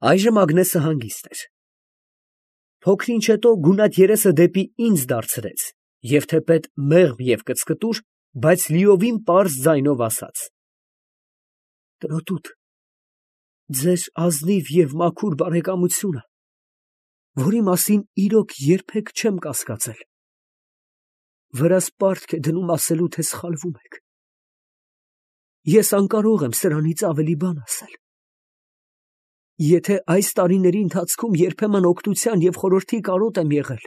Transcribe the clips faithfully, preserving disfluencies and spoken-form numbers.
Այժմ Ագնեսը հանգիստ էր։ Փոքր ինչ հետո գունատ երեսը դեպի ինձ դարձրեց և թեպետ մեղմ և կծկտուր, բայց լիովին պարզ ձայնով ասաց. «Տրոտուտ, ձեր ազնիվ և մաքուր բարեկամությունը, որի մասին իրոք երբեք չեմ կասկածել, վրաս պարտք է դնում ասելու, թե սխալվում եք. ես անկարող եմ սրանից ավելի բան ասել։ Եթե այս տարիների ընթացքում երբեմն օգնության և խորհրդի կարոտ եմ եղել,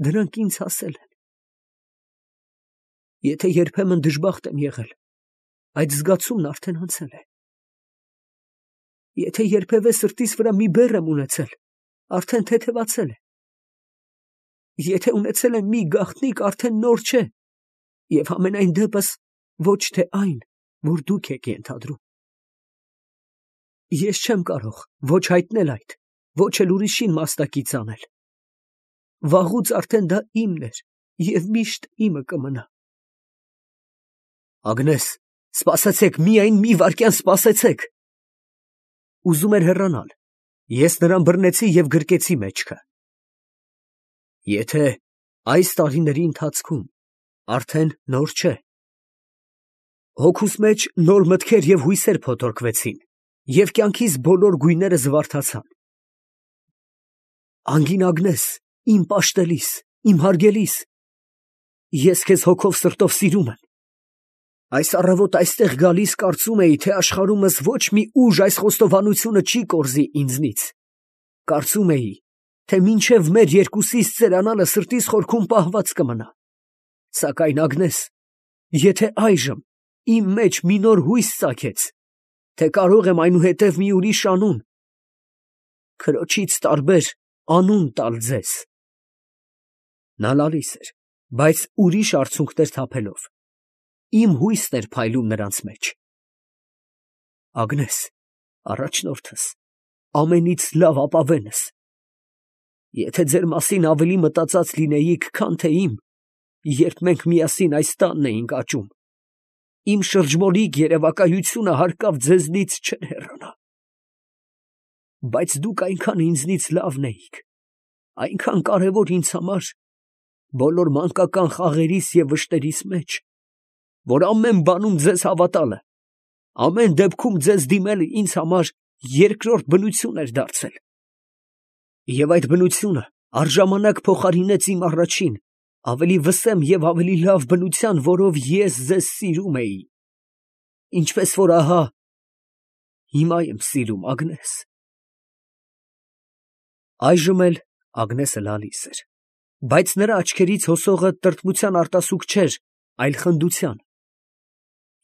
դրանք ինձ հասել են։ Եթե երբեմն դժբախտ եմ եղել, այդ զգացումն արդեն անցել է։ Եթե երբևէ սրտիս վրա մի բեռ եմ ունեցել, արդեն թեթևացել է։ Եթե ունեցել եմ մի գաղտնիք, արդեն նոր չէ, և համենայն դեպս ոչ թե այն, որ դուք եք ենթադրում։ Ես չեմ կարող ոչ հայտնել այդ, ոչ էլ ուրիշին մասնակից անել։ Վաղուց արդեն դա իմն էր և միշտ իմը կմնա»։ Ագնես, սպասեցեք, միայն մի վայրկյան սպասեցեք։ Ուզում էր հեռանալ, ես նրան բռնեցի և գրկեցի մեջքը։ Եթե այս տարիների ընթացքում արդեն նոր չէ։ Հոգուս մեջ նոր մտքեր և հույսեր փոթորկվեցին, և կյանքիս բոլոր գույները զվարթացան։ Անգին Ագնես, իմ պաշտելիս, իմ հարգելիս, ես քեզ հոգով սրտով սիրում եմ։ Այս առավոտ այստեղ գալիս կարծում էի, թե աշխարհումս ոչ մի ուժ այս խոստովանությունը չի կորզի ինձնից։ Կարծում էի, թե մինչև մեր երկուսիս ծերանալը սրտիս խորքում պահված կմնա։ Սակայն Ագնես, եթե այժմ իմ մեջ մի նոր հույս ծագեց, թե կարող եմ այնուհետև մի ուրիշ անուն, քրոջից տարբեր անուն տալ ձեզ։ Նա լալիս էր, բայց ուրիշ արցունքներ թափելով, իմ հույսն էր փայլում նրանց մեջ։ Ագնես, առաջնորդս, ամենից լավ ապավենս, եթե ձեր մասին ավելի մտածած լինեիք, քան թե իմ, երբ մենք միասին այս տանն էինք աճում, իմ շրջմոլիկ երևակայությունը հարկավ ձեզնից չէր հեռանա։ Բայց դուք այնքան ինձնից լավն էիք, այնքան կարևոր ինձ համար բոլոր մանկական խաղերիս և վշտերիս մեջ, որ ամեն բանում ձեզ հավատալը, ամեն դեպքում ձեզ դիմելը ինձ համար երկրորդ բնություն էր դարձել։ Եվ այդ բնությունը առժամանակ փոխարինեց իմ առաջին, ավելի վսեմ և ավելի լավ բնության, որով ես ձեզ սիրում էի, ինչպես որ ահա հիմա եմ սիրում, Ագնես։ Այժմ էլ Ագնեսը լալիս էր, բայց նրա աչքերից հոսողը տրտմության արտասուք չէր, այլ խնդության։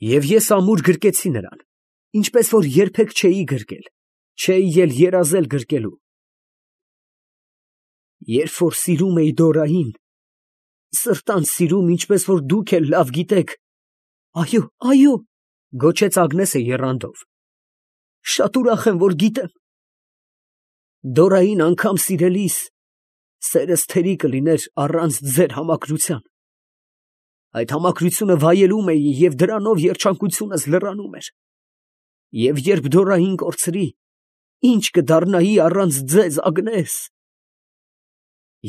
Եվ ես ամուր գրկեցի նրան, ինչպես որ երբեք չէի գրկել, չէի էլ երազել գրկելու։ Երբ որ սիրում էի Դորային, սրտանց սիրում, ինչպես որ դուք էլ լավ գիտեք, այո, այո, գոչեց Ագնեսը եռանդով, շատ ուրախ եմ, որ գիտեմ։ Դորային անգամ սիրելիս, սերս թերի կլիներ առանց ձեր համակրության։ Այդ համակրությունը վայելում էի և դրանով երջանկությունս լրանում էր։ Եվ երբ Դորային կորցրի, ի՞նչ կդառնայի առանց ձեզ, Ագնես։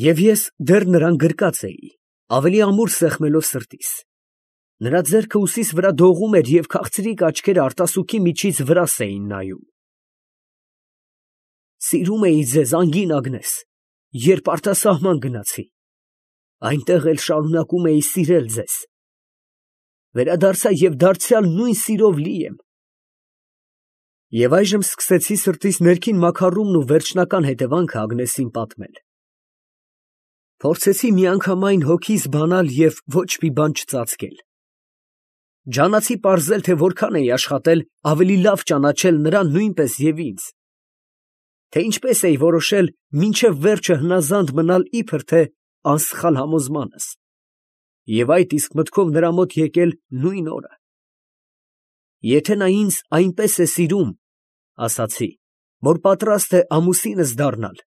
Եվ ես դեռ նրան գրկած էի, ավելի ամուր սեղմելով սրտիս։ Նրա ձեռքը ուսիս վրա դողում էր և քաղցրիկ աչքերը արտասուքի միջից վրաս էին նայում։ Սիրում էի ձեզ, անգին Ագնես, երբ արտասահման գնացի, այնտեղ էլ շարունակում էի սիրել ձեզ։ Վերադարձա և դարձյալ նույն սիրով լի եմ։ Եվ այժմ սկսեցի սրտիս ներքին մաքարումն ու վերջնական հետևանքը Ագնեսին պատմել։ Փորձեցի միանգամայն հոգիս բանալ և ոչ մի բան չծածկել։ Ջանացի պարզել, թե որքան էի աշխատել ավելի լավ ճանաչել նրան նույնպես և ինձ, թե ինչպես էի որոշել մինչև վերջը հնազանդ մնալ իբր թե անսխալ համոզմանս, և այդ իսկ մտքով նրա մոտ եկել նույն օրը։ Եթե նա ինձ այնպես է սիրում, ասացի, որ պատրաստ է ամուսինս դառնալ,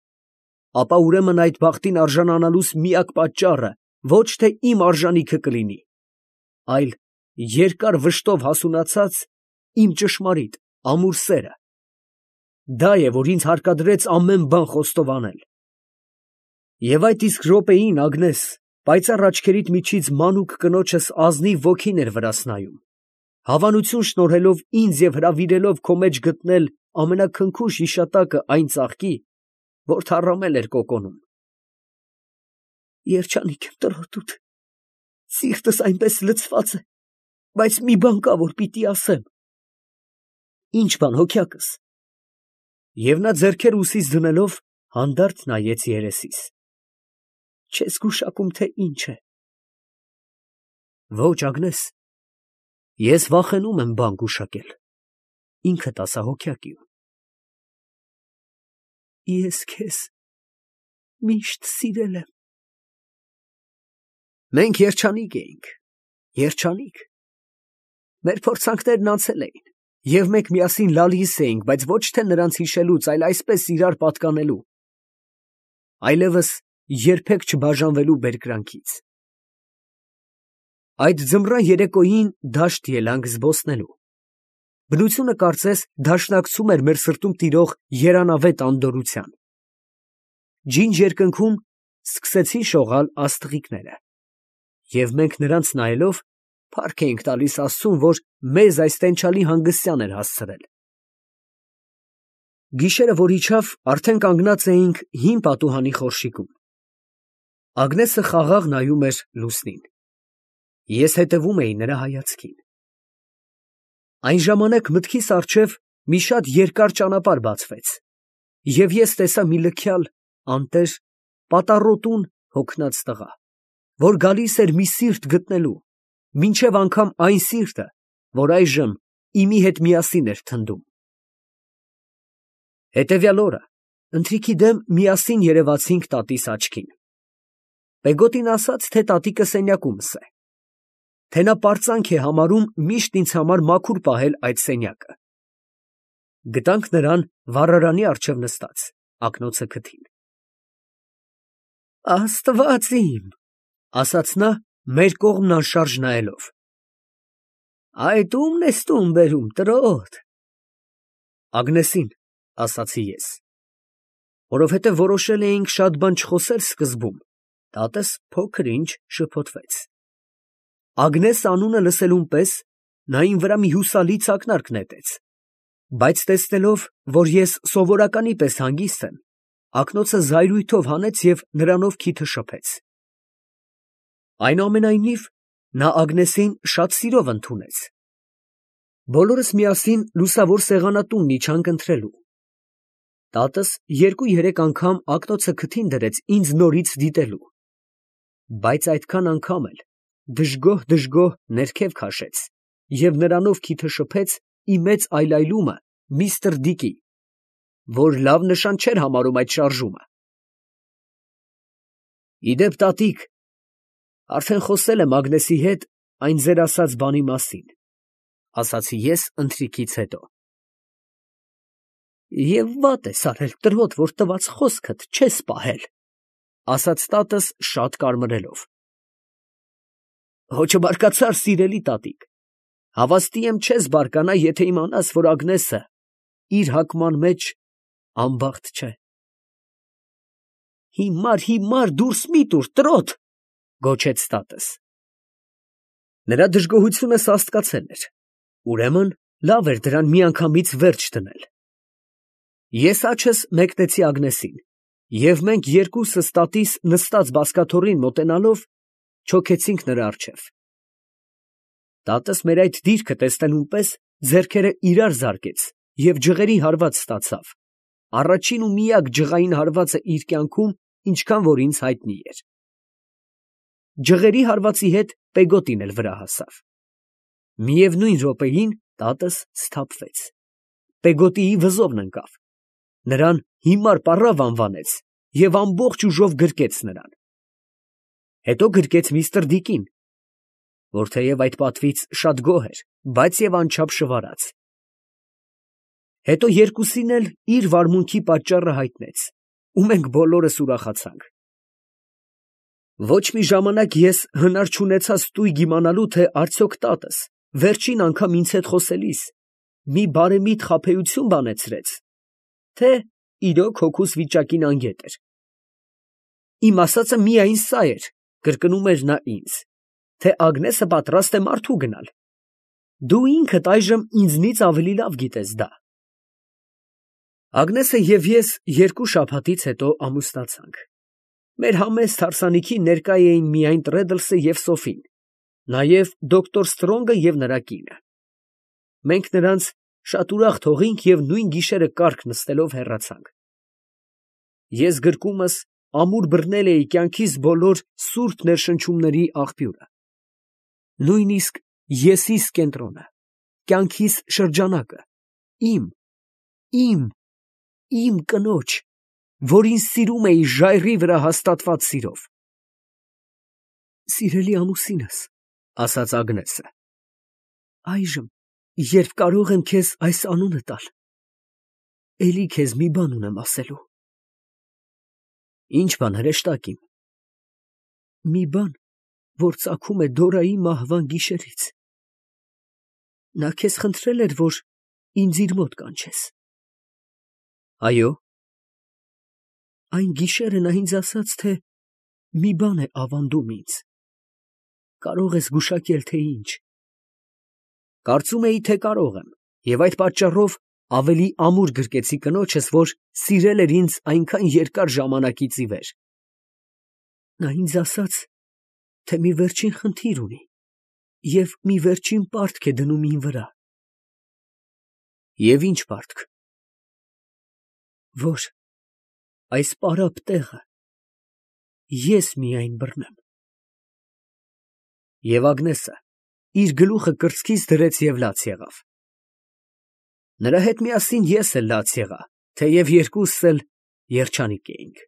ապա ուրեմն այդ բախտին արժանանալուս միակ պատճառը ոչ թե իմ արժանիքը կլինի, այլ երկար վշտով հասունացած իմ ճշմարիտ, ամուր սերը։ Դա է, որ ինձ հարկադրեց ամեն բան խոստովանել։ Եվ այդ իսկ րոպեին, Ագնես, պայծառ աչքերիդ միջից մանուկ կնոջս ազնիվ ոգին էր վրաս նայում, հավանություն շնորհելով ինձ և հրավիրելով քո մեջ գտնել ամենաքնքուշ հիշատակը այն ծաղկի, որ թառամել էր կոկոնում։ Երջանիկ եմ տրոհտուդ, սիրտս այնպես լցված է, բայց մի բան կա, որ պիտի ասեմ։ Ինչ բան, հոգյակս։ Եվ նա ձեռքերը ուսիս դնելով հանդարտ նայեց երեսիս։ Չես գուշակում, թե ինչ է։ Ոչ, Ագնես, ես վախենում եմ բան գուշակել, ինքդ ասա, հոգյակ իմ։ Ես քեզ միշտ սիրել եմ։ Մենք երջանիկ էինք, երջանիկ։ Մեր փորձանքներն անցել էին, և մենք միասին լալիս էինք, բայց ոչ թե նրանց հիշելուց, այլ այսպես իրար պատկանելու, այլևս երբեք չբաժանվելու բերկրանքից։ Այդ ձմռան երեկոյին դաշտ ելանք զբոսնելու։ Բնությունը կարծես դաշնակցում էր մեր սրտում տիրող երանավետ անդորրության։ Ջինջ երկնքում սկսեցին շողալ աստղիկները, և մենք նրանց նայելով փառք էինք տալիս Աստծուն, որ մեզ այս տենչալի հանգստյան էր հասցրել։ Գիշերը, որ իջավ, արդեն կանգնած էինք հին պատուհանի խորշիկում։ Ագնեսը խաղաղ նայում էր լուսնին։ Ես հետևում էի նրա հայացքին։ Այն ժամանակ մտքիս առջև մի շատ երկար ճանապարհ բացվեց, և ես տեսա մի լքյալ, անտեր, պատառոտուն հոգնած տղա, որ գալիս էր մի սիրտ գտնելու, մինչև անգամ այն սիրտը, որ այժմ իմի հետ միասին էր թնդում։ Հետևյալ օրը ընթրիքի դեմ միասին երևացինք տատիս աչքին։ Պեգոտին ասաց, թե տատիկը սենյակումս է, թե նա պարծանք է համարում միշտ ինձ համար մաքուր պահել այդ սենյակը։ Գտանք նրան վառարանի առջև նստած, ակնոցը քթին։ Աստված իմ, ասաց նա, մեր կողմն անշարժ նայելով։ Այդ ո՞ւմն ես տուն բերում, տրոտ։ Ագնեսին, ասացի ես, որովհետև որոշել էինք շատ բան չխոսել սկզբում, տատս փոքր ինչ շփոթվեց։ Ագնես անունը լսելուն պես նա իմ վրա մի հուսալի ցակնարկ նետեց, բայց տեսնելով, որ ես սովորականի պես հանգիստ եմ, ակնոցը զայրույթով հանեց և նրանով քիթը շփեց։ Այնուամենայնիվ, նա Ագնեսին շատ սիրով ընդունեց։ Բոլորս միասին լուսավոր սեղանատունն իջանք ընթրելու։ Տատս երկու֊երեք անգամ ակնոցը քթին դրեց ինձ նորից դիտելու, բայց այդքան անգամ էլ դժգոհ֊դժգոհ ներքև քաշեց և նրանով քիթը շփեց իմ մեծ այլայլումը միստր Դիկի, որ լավ նշան չէր համարում այդ շարժումը։ Իդեպ, տատիկ, արդեն խոսել եմ Ագնեսի հետ այն ձեր ասած բանի մասին, ասացի ես ընթրիքից հետո։ Եվ վատ ես արել, տրոտ, որ տված խոսքդ չես պահել, ասաց տատս շատ կարմրելով։ Հո չբարկացար, սիրելի տատիկ, հավաստի եմ չես բարկանա, եթե իմանաս, որ Ագնեսը իր հակման մեջ անբախտ չէ։ Հիմար, հիմար դուրս մի տուր, տրոտ, գոչեց տատս։ Նրա դժգոհությունը սաստկացել էր, ուրեմն լավ էր դրան միանգամից վերջ դնել։ Ես աչքս մեկնեցի Ագնեսին, և մենք երկուսս տատիս նստած բազկաթոռին մոտենալով չոքեցինք նրա առջև։ Տատս մեր այդ դիրքը տեսնելուն պես ձեռքերը իրար զարկեց և ջղերի հարված ստացավ, առաջին ու միակ ջղային հարվածը իր կյանքում, ինչքան որ ինձ հայտնի էր։ Ջղերի հարվածի հետ Պեգոտին էլ վրա հասավ։ Միևնույն րոպեին տատս սթափվեց, Պեգոտիի վզովն ընկավ, նրան հիմար պառավ անվանեց և ամբողջ ուժով գրկեց նրան։ Հետո գրկեց միստր Դիկին, որ թեև այդ պատվից շատ գոհ էր, բայց և անչափ շվարած։ Հետո երկուսին էլ իր վարմունքի պատճառը հայտնեց, ու մենք բոլորս ուրախացանք։ Ոչ մի ժամանակ ես հնար չունեցա ստույգ իմանալու, թե արդյոք տատս վերջին անգամ ինձ հետ խոսելիս մի բարեմիտ խաբեություն բանեցրեց, թե իրոք հոգուս վիճակին անգետ էր։ Իմ ասածը միայն սա էր, կրկնում էր նա ինձ, թե Ագնեսը պատրաստ է մարդու գնալ։ Դու ինքդ այժմ ինձնից ավելի լավ գիտես դա։ Ագնեսը և ես երկու շաբաթից հետո ամուսնացանք։ Մեր համեստ հարսանիքին ներկա էին միայն Տրեդլսը և Սոֆին, նաև դոկտոր Ստրոնգը և նրա կինը։ Մենք նրանց շատ ուրախ թողինք և նույն գիշերը կառք նստելով հեռացանք։ Ես գրկումս ամուր բռնել էի կյանքիս բոլոր սուրբ ներշնչումների աղբյուրը, նույնիսկ եսիս կենտրոնը, կյանքիս շրջանակը, իմ, իմ, իմ կնոջ, որին սիրում էի ժայռի վրա հաստատված սիրով։ Սիրելի ամուսինս, ֊ ասաց Ագնեսը, ֊ այժմ, երբ կարող եմ քեզ այս անունը տալ, էլի քեզ մի բան ունեմ ասելու։ Ի՞նչ բան, հրեշտակ իմ։ Մի բան, որ ծագում է Դորայի մահվան գիշերից։ Նա քեզ խնդրել էր, որ ինձ իր մոտ կանչես։ Այո։ Այն գիշերը նա ինձ ասաց, թե մի բան է ավանդում ինձ։ Կարող ես գուշակել, թե ինչ։ Կարծում էի, թե կարող եմ, և այդ պատճառով ավելի ամուր գրկեցի կնոջս, որ սիրել էր ինձ այնքան երկար ժամանակից ի վեր։ Նա ինձ ասաց, թե մի վերջին խնդիր ունի և մի վերջին պարտք է դնում իմ վրա։ Եվ ի՞նչ պարտք։ Որ այս պարապ տեղը ես միայն բռնեմ։ Եվ Ագնեսը իր գլուխը կրծքից դրեց և լաց եղավ։ Նրա հետ միասին ես էլ լաց եղա, թեև երկուսս էլ երջանիկ էինք։